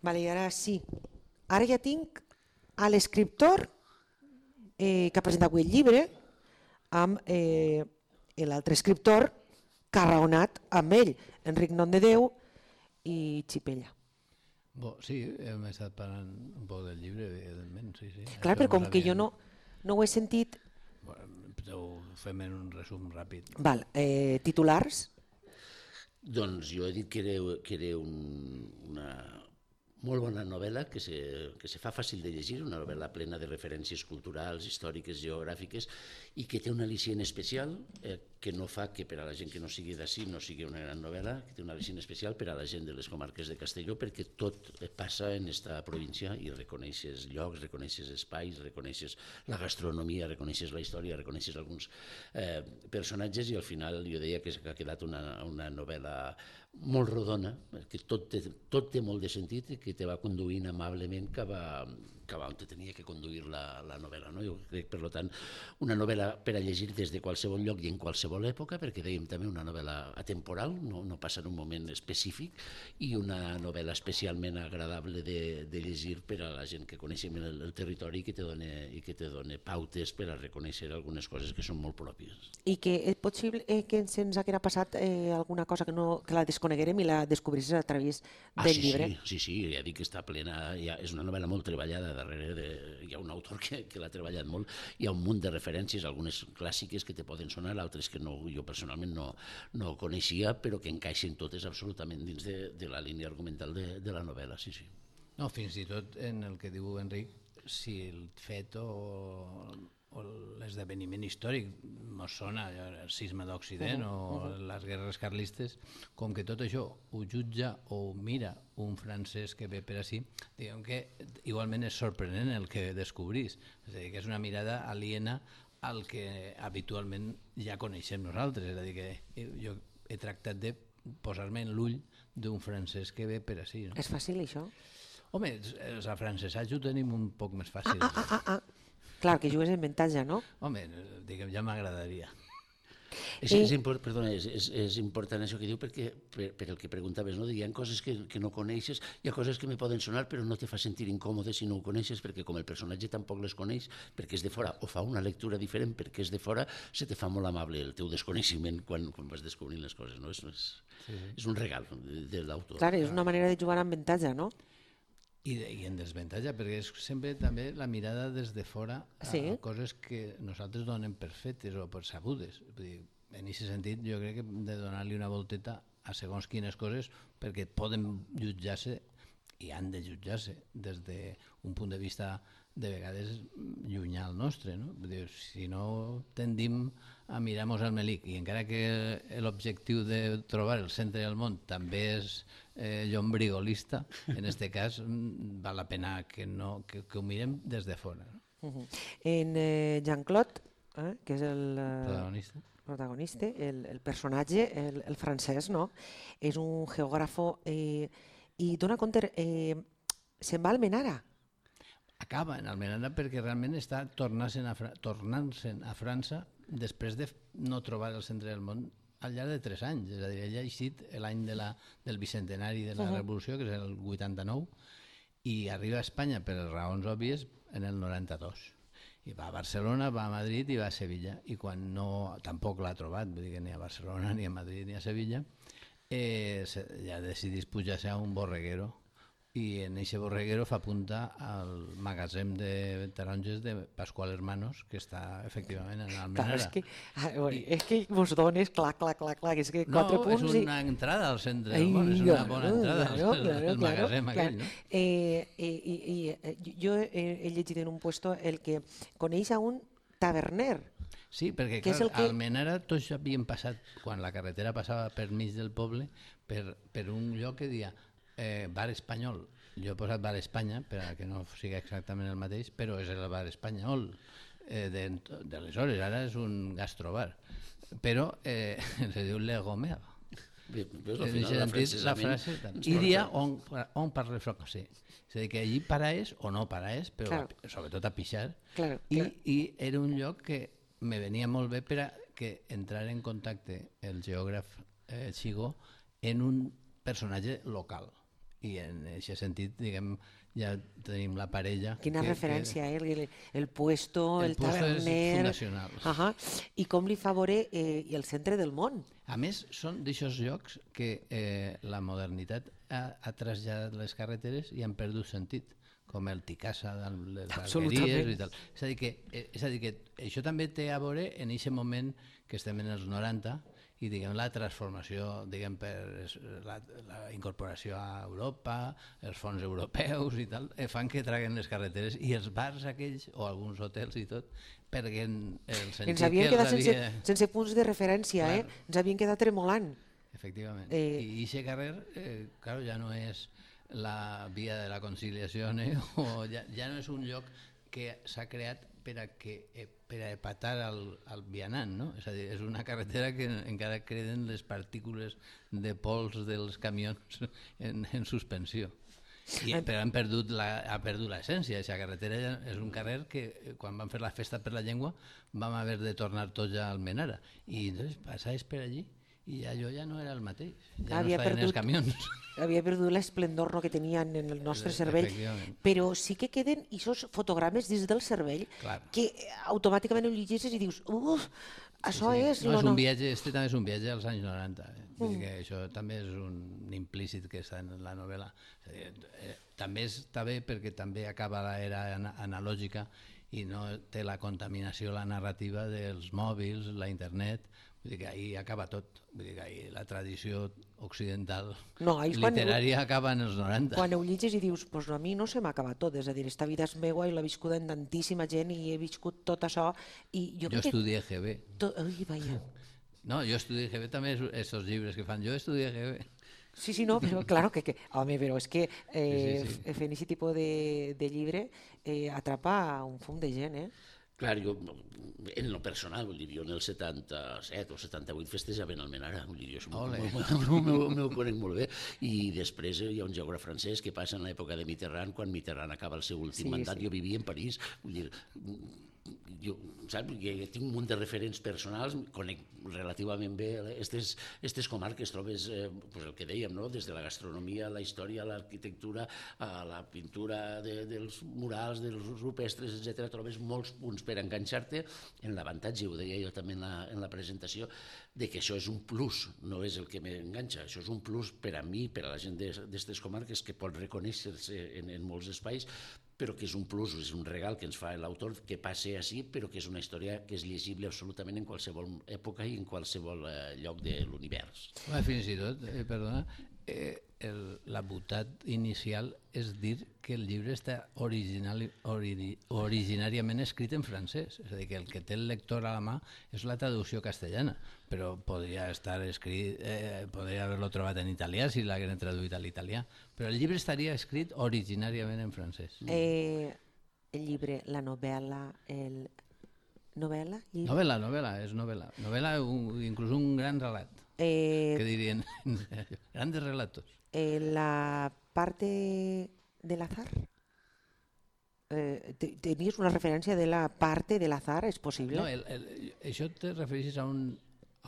Vale, i ara sí. Ara ja tinc a l'escriptor que ha presentat avui el llibre amb l'altre escriptor que ha raonat amb ell, Enric Nomdedeu i Xipella. Sí, hem estat parlant un poc del llibre, evidentment, sí. Clar, però com que jo no ho he sentit... Ho fem en un resum ràpid. Val, titulars? Doncs jo he dit que era una molt bona novel·la que se fa fàcil de llegir, una novel·la plena de referències culturals, històriques, geogràfiques i que té un al·licient especial que no fa que per a la gent que no sigui d'ací no sigui una gran novel·la, que té un al·licient especial per a la gent de les comarques de Castelló perquè tot passa en esta província i reconeixes llocs, reconeixes espais, reconeixes la gastronomia, reconeixes la història, reconeixes alguns personatges i al final jo deia que ha quedat una novel·la molt rodona, que tot té molt de sentit i que te va conduint amablement cap a on te tenia que conduir la novel·la. No? Jo crec, per tant, una novel·la per a llegir des de qualsevol lloc i en qualsevol època, perquè dèiem també una novel·la atemporal, no passa en un moment específic, i una novel·la especialment agradable de llegir per a la gent que coneixem el territori i que te dona pautes per a reconèixer algunes coses que són molt pròpies. I que és possible que se'ns haguera passat alguna cosa que la desconeguérem i la descobrissis a través del llibre? Sí, ja dic que està plena, és una novel·la molt treballada, darrere hi ha un autor que l'ha treballat molt, hi ha un munt de referències, algunes clàssiques que te poden sonar, altres que jo personalment no coneixia, però que encaixen totes absolutament dins de la línia argumental de la novel·la, sí. No, fins i tot en el que diu Enric, si el fet o l'esdeveniment històric mos sona, el cisma d'Occident o les guerres carlistes, com que tot això ho jutja o ho mira un francès que ve per ací, diguem que igualment és sorprenent el que descobrís, és a dir, que és una mirada aliena al que habitualment ja coneixem nosaltres, és a dir, que jo he tractat de posar-me en l'ull d'un francès que ve per ací. No? És fàcil això? Home, els afrancesats ho tenim un poc més fàcil. Clar, que jugues en avantatge, no? Home, diguem, ja m'agradaria. És important això que diu perquè per el que preguntaves, no? Hi ha coses que no coneixes, hi ha coses que me poden sonar però no te fa sentir incòmode si no ho coneixes perquè com el personatge tampoc les coneix perquè és de fora o fa una lectura diferent perquè és de fora, se te fa molt amable el teu desconeixement quan vas descobrint les coses, no? És un regal de l'autor. Clar, és una manera de jugar amb avantatge, no? I en desventatge, perquè és sempre també la mirada des de fora a coses que nosaltres donem per fetes o per sabudes. En aquest sentit, jo crec que hem de donar-li una volteta a segons quines coses perquè poden jutjar-se i han de jutjar-se des d'un punt de vista de vegades llunyà al nostre. No? Si no tendim a mirar-nos al melic i encara que l'objectiu de trobar el centre del món també és llombrigolista, en aquest cas val la pena que ho mirem des de fora. No? En Jean-Claude, que és el protagonista, el personatge, el francès, no? És un geògrafo i dona compte, se'n va a Almenara. Acaba en Almenara perquè realment està tornant-se'n a França després de no trobar el centre del món al llarg de 3 anys. És a dir, ell ha llegit l'any del bicentenari de la Revolució, que és el 89, i arriba a Espanya per raons òbvies en el 92. I va a Barcelona, va a Madrid i va a Sevilla. I quan tampoc l'ha trobat, vull dir que ni a Barcelona, ni a Madrid, ni a Sevilla, ja decidís pujar-se a un borreguero i en aquest borreguero fa punta al magatzem de taronges de Pascual Hermanos, que està efectivament en Almenara. És que vos dones, clar, és que 4 punts... No, és una entrada al centre del món, és una bona entrada al magatzem aquell, no? Jo he llegit en un puesto el que coneix a un taverner. Sí, perquè clar, a Almenara tots havien passat, quan la carretera passava per mig del poble, per un lloc que deia Bar Espanyol. Jo he posat Bar Espanya perquè no sigui exactament el mateix, però és el Bar Espanyol d'aleshores, ara és un gastrobar, però se diu Le Gomer. La frase i dia on parle francès, és a dir, que allí paraes o no paraes, però sobretot a pixar, i era un lloc que me venia molt bé per a que entrar en contacte el geògraf Xigo en un personatge local. I en aquest sentit, diguem, ja tenim la parella... Quina referència, el puesto, el puesto és taverner... fundacional. I com li fa veure el centre del món. A més, són d'aixòs llocs que la modernitat ha traslladat les carreteres i han perdut sentit, com el Ticasa de les alqueries i tal. És a dir que això també té a veure en aquest moment que estem en els 90 i diguem, la transformació per la incorporació a Europa, els fons europeus i tal, fan que traguen les carreteres i els bars aquells, o alguns hotels i tot, perguen el sentit ens havien quedat sense punts de referència, ens havien quedat tremolant. Efectivament. I aquest carrer, clar, ja no és la via de la conciliació, o ja no és un lloc que s'ha creat per a epatar el vianant, no? És a dir, és una carretera que encara queden les partícules de pols dels camions en suspensió. Però ha perdut l'essència. Aquesta carretera és un carrer que quan vam fer la festa per la llengua vam haver de tornar tots a Almenara. I llavors passaves per allí i allò ja no era el mateix, ja no estaven els camions. Havia perdut l'esplendor que tenien en el nostre cervell, però sí que queden aquests fotogrames dins del cervell que automàticament ho llegeixes i dius, això és... No, és un viatge, també és un viatge als anys 90, vull dir que això també és un implícit que està en la novel·la. També està bé perquè també acaba l'era analògica i no té la contaminació, la narrativa dels mòbils, la internet. Vull dir que ahir acaba tot, vull dir que ahir la tradició occidental literària acaba en els 90. Quan ho llegis i dius, pues a mi no se m'ha acabat tot, és a dir, esta vida és meua i l'ha viscuda en tantíssima gent i he viscut tot això. Jo estudié GB. Ai, vaja. No, jo estudié GB també, aquests llibres que fan, jo estudié GB. Sí, no, però claro que home, però és que fent aquest tipus de llibre atrapa un fum de gent, Clar, jo, en lo personal, vull dir, jo en el 77 o 78 festejava en Almenara, vull dir, jo m'ho conec molt bé, i després hi ha un geògraf francès que passa en l'època de Mitterrand, quan Mitterrand acaba el seu últim mandat, jo vivia en París, vull dir, jo tinc un munt de referents personals, conec relativament bé aquestes comarques, trobes el que dèiem, des de la gastronomia, la història, l'arquitectura, la pintura dels murals, dels rupestres, etc. Trobes molts punts per enganxar-te en l'avantatge, ho deia jo també en la presentació, de que això és un plus, no és el que m'enganxa, això és un plus per a mi, per a la gent d'aquestes comarques que pot reconèixer-se en molts espais, però que és un plus, és un regal que ens fa l'autor que passe així, però que és una història que és llegible absolutament en qualsevol època i en qualsevol lloc de l'univers. Fins i tot, perdona, la botat inicial és dir que el llibre està originàriament escrit en francès, és a dir, que el que té el lector a la mà és la traducció castellana, però podria estar escrit, podria haver-lo trobat en italià si l'hagueren traduït a l'italià, però el llibre estaria escrit originàriament en francès. El llibre, la novel·la, Novel·la? Novel·la, és novel·la. Novel·la, inclús un gran relat, que dirien, grandes relatos. La parte del azar? Tenies una referència de la parte del azar, és possible? No, això te refereixes a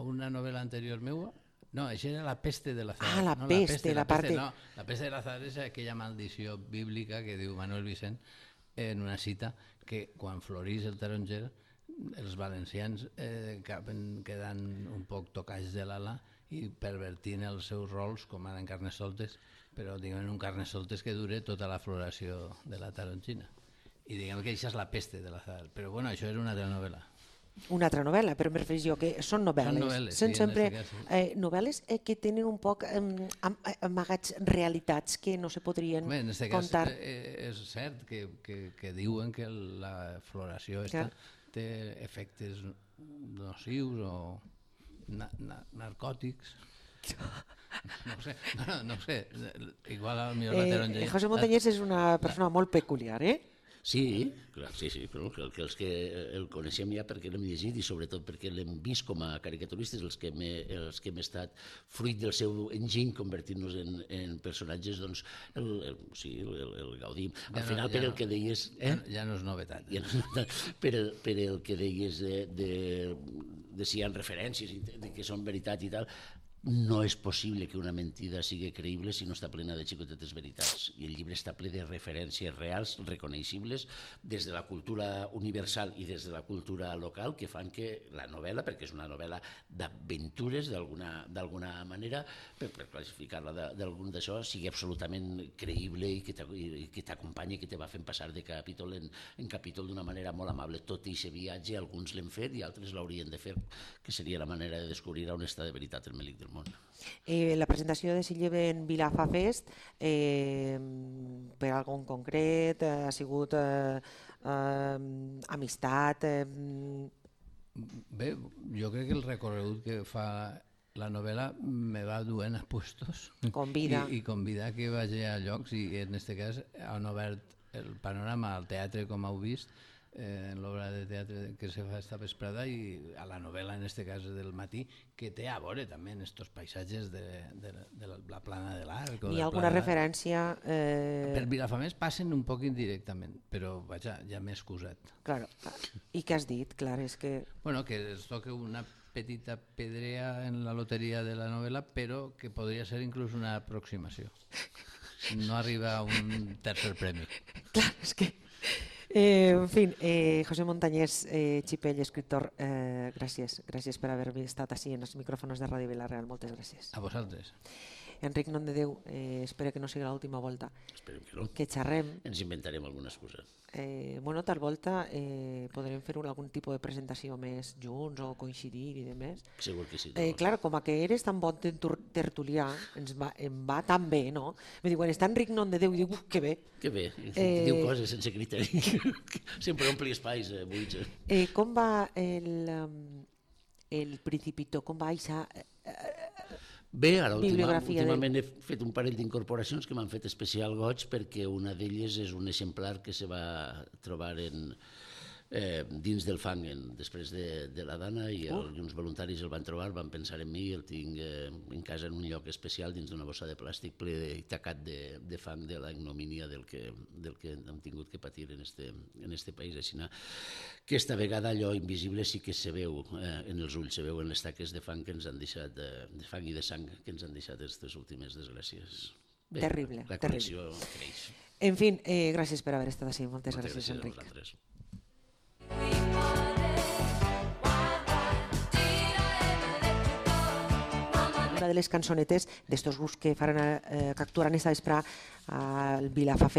una novel·la anterior meua? No, això era La peste de l'azar. La peste, la parte... No, La peste de l'azar és aquella maldició bíblica que diu Manuel Vicent en una cita que quan florís el taronger els valencians quedant un poc tocats de l'ala i pervertint els seus rols com ara en Carnestoltes, però diguem un Carnestoltes que dure tota la floració de la tarongina. I diguem que això és La peste de l'azar, però bueno, això és una altra novel·la. Una altra novel·la, però me refereixo que són novel·les. Són novel·les, són sempre novel·les que tenen un poc amagats realitats que no se podrien contar. En aquest cas és cert que diuen que la floració té efectes nocius o narcòtics. No sé, igual al millor la taronja. José Montañés és una persona molt peculiar, Sí, clar, sí, però els que el coneixem ja perquè l'hem llegit i sobretot perquè l'hem vist com a caricaturistes, els que hem estat fruit del seu enginy convertint-nos en personatges, doncs el gaudim. Al final, per el que deies... Ja no és novetat. Per el que deies de si hi ha referències, que són veritat i tal, no és possible que una mentida sigui creïble si no està plena de xicotetes veritats. I el llibre està ple de referències reals, reconeixibles, des de la cultura universal i des de la cultura local, que fan que la novel·la, perquè és una novel·la d'aventures d'alguna manera, per classificar-la d'algun d'això, sigui absolutament creïble i que t'acompanyi, que te va fent passar de capítol en capítol d'una manera molt amable. Tot i aquest viatge, alguns l'hem fet i altres l'haurien de fer, que seria la manera de descobrir on està de veritat el Melic del món. La presentació de aquest llibre en Vilafa Fest, per algun concret, ha sigut amistat? Bé, jo crec que el recorregut que fa la novel·la me va duent a puestos Convida. i convidar que vagi a llocs, i en aquest cas han obert el panorama al teatre, com heu vist, en l'obra de teatre que se fa esta vesprada, i a la novel·la, en aquest cas del matí, que té a veure també en estos paisatges de la plana de l'Arc. Hi ha alguna referència? Per Vilafamés passen un poc indirectament, però vaja, ja m'he excusat. Claro. I què has dit? Clar, és que... Bueno, que es toca una petita pedrea en la loteria de la novel·la, però que podria ser inclús una aproximació. No arriba a un tercer premi. Clar, és que... en fi, José Montañés Chipell, escriptor, gràcies per haver estat així en els micròfons de Ràdio Vila-real. Moltes gràcies. A vosaltres. Enric Nomdedeu, espero que no sigui l'última volta. Esperem que no. Que xerrem. Ens inventarem alguna excusa. Bueno, tal volta podrem fer algun tipus de presentació més junts o coincidir i demés. Segur que sí. Clar, com que eres tan bon tertulià, em va tan bé, no? Me diuen, està Enric Nomdedeu, i dic, que bé. Que bé, diu coses sense criteri. Sempre ompli espais buits. Com va el Principito? Com va això? Bé, ara últimament he fet un parell d'incorporacions que m'han fet especial goig, perquè una d'elles és un exemplar que se va trobar dins del fang després de la Dana, i uns voluntaris el van trobar, van pensar en mi, el tinc en casa en un lloc especial dins d'una bossa de plàstic ple i tacat de fang de la ignomínia del que hem tingut que patir en este país. Així que esta vegada allò invisible sí que se veu en els ulls, se veu en les taques de fang que ens han deixat, de fang i de sang que ens han deixat aquestes últimes desgràcies. Terrible. La connexió creix. En fi, gràcies per haver estat així. Moltes gràcies, Enric. Una de les cançonetes d'estos grups que actuaran esta vespre al Vilafa Fest